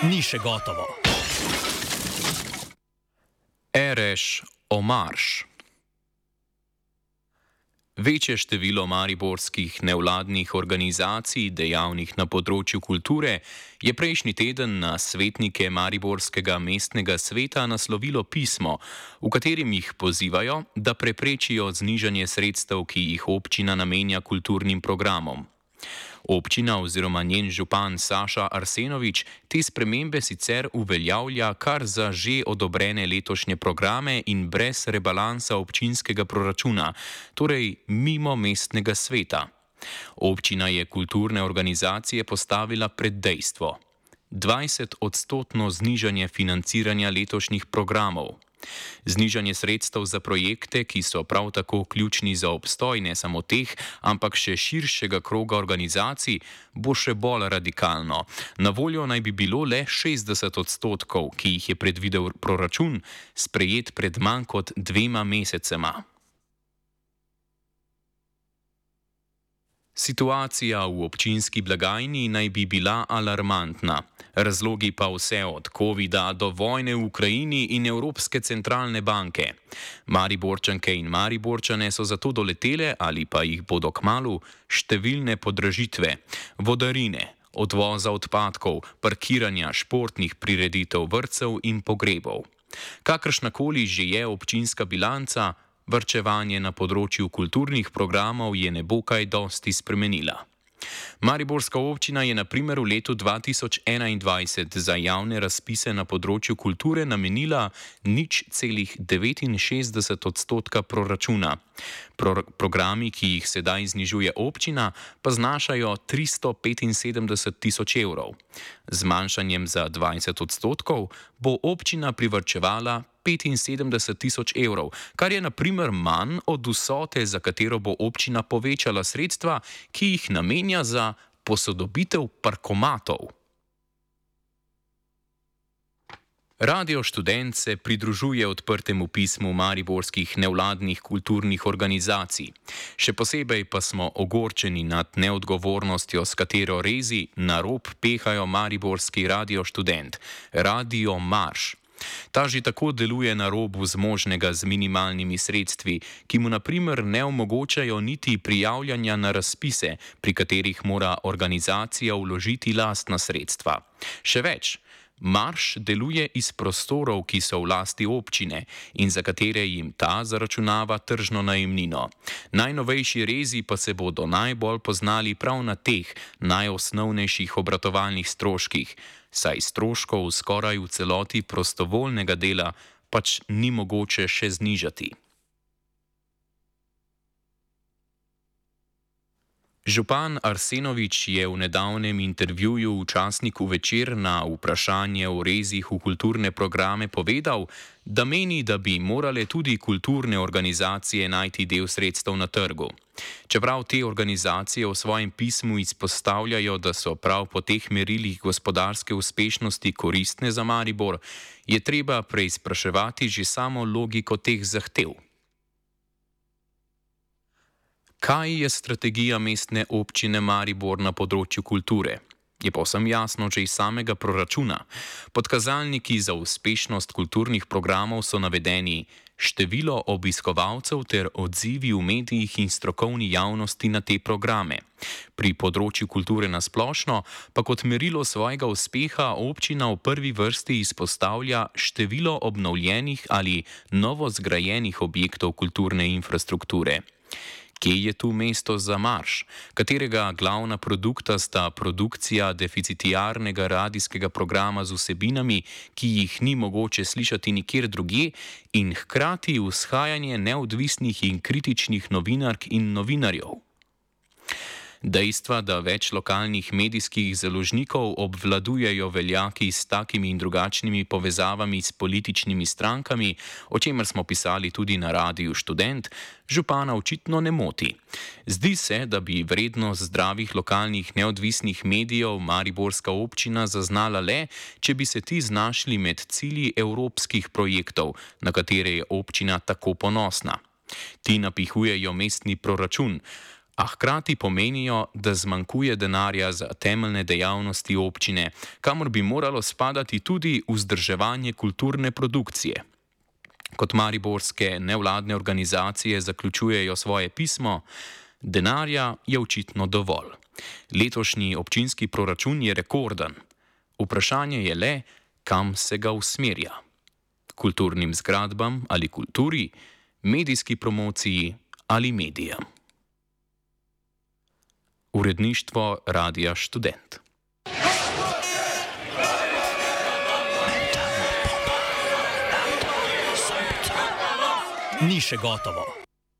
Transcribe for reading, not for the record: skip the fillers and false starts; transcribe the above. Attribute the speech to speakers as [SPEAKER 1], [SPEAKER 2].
[SPEAKER 1] ni še gotovo.
[SPEAKER 2] Ereš o marš. Večje število mariborskih nevladnih organizacij, dejavnih na področju kulture, je prejšnji teden na svetnike Mariborskega mestnega sveta naslovilo pismo, v katerem jih pozivajo, da preprečijo znižanje sredstev, ki jih občina namenja kulturnim programom. Občina oziroma njen župan Saša Arsenovič te spremembe sicer uveljavlja kar za že odobrene letošnje programe in brez rebalansa občinskega proračuna, torej mimo mestnega sveta. Občina je kulturne organizacije postavila pred dejstvo: 20% znižanje financiranja letošnjih programov. Znižanje sredstev za projekte, ki so prav tako ključni za obstoj ne samo teh, ampak še širšega kroga organizacij, bo še bolj radikalno. Na voljo naj bi bilo le 60%, ki jih je predvidel proračun, sprejet pred manj kot 2 mesecema. Situacija v občinski blagajni naj bi bila alarmantna. Razlogi pa vse od covida do vojne v Ukrajini in Evropske centralne banke. Mariborčanke in Mariborčane so zato doletele ali pa jih bodo kmalu številne podražitve: vodarine, odvoza odpadkov, parkiranja, športnih prireditev, vrtcev in pogrebov. Kakršnakoli že je občinska bilanca, varčevanje na področju kulturnih programov je ne bo kaj dosti spremenila. Mariborska občina je na primer v letu 2021 za javne razpise na področju kulture namenila 0,69% proračuna. Programi, ki jih sedaj znižuje občina, pa znašajo 375 tisoč evrov. Z zmanjšanjem za 20% bo občina privarčevala 75 tisoč evrov, kar je na primer manj od vsote, za katero bo občina povečala sredstva, ki jih namenja za posodobitev parkomatov. Radio Študent se pridružuje odprtemu pismu mariborskih nevladnih kulturnih organizacij. Še posebej pa smo ogorčeni nad neodgovornostjo, s katero rezi na rob pehajo mariborski Radio Študent, Radio Marš. Ta že tako deluje na robu zmožnega z minimalnimi sredstvi, ki mu na primer ne omogočajo niti prijavljanja na razpise, pri katerih mora organizacija vložiti lastna sredstva. Še več, Marš deluje iz prostorov, ki so v lasti občine in za katere jim ta zaračunava tržno najemnino. Najnovejši rezi pa se bodo najbolj poznali prav na teh najosnovnejših obratovalnih stroških, saj stroškov skoraj v celoti prostovoljnega dela pač ni mogoče še znižati. Župan Arsenovič je v nedavnem intervjuju v časniku Večer na vprašanje o rezih v kulturne programe povedal, da meni, da bi morale tudi kulturne organizacije najti del sredstev na trgu. Čeprav te organizacije v svojem pismu izpostavljajo, da so prav po teh merilih gospodarske uspešnosti koristne za Maribor, je treba preizpraševati že samo logiko teh zahtev. Kaj je strategija mestne občine Maribor na področju kulture? Je povsem jasno že iz samega proračuna. Pod kazalniki za uspešnost kulturnih programov so navedeni število obiskovalcev ter odzivi v medijih in strokovni javnosti na te programe. Pri področju kulture na splošno pa kot merilo svojega uspeha občina v prvi vrsti izpostavlja število obnovljenih ali novo zgrajenih objektov kulturne infrastrukture. Kje je tu mesto za Marš, katerega glavna produkta sta produkcija deficitiarnega radijskega programa z vsebinami, ki jih ni mogoče slišati nikjer drugje, in hkrati vzhajanje neodvisnih in kritičnih novinark in novinarjev? Dejstva, da več lokalnih medijskih založnikov obvladujejo veljaki s takimi in drugačnimi povezavami s političnimi strankami, o čemer smo pisali tudi na Radiu Študent, župana očitno ne moti. Zdi se, da bi vrednost zdravih lokalnih neodvisnih medijev mariborska občina zaznala le, če bi se ti znašli med cilji evropskih projektov, na katere je občina tako ponosna. Ti napihujejo mestni proračun, a hkrati pomenijo, da zmanjkuje denarja za temeljne dejavnosti občine, kamor bi moralo spadati tudi vzdrževanje kulturne produkcije. Kot mariborske nevladne organizacije zaključujejo svoje pismo, denarja je očitno dovolj. Letošnji občinski proračun je rekorden. Vprašanje je le, kam se ga usmerja. Kulturnim zgradbam ali kulturi, medijski promociji ali medijem. Uredništvo Radia Študent.
[SPEAKER 1] Ni še gotovo.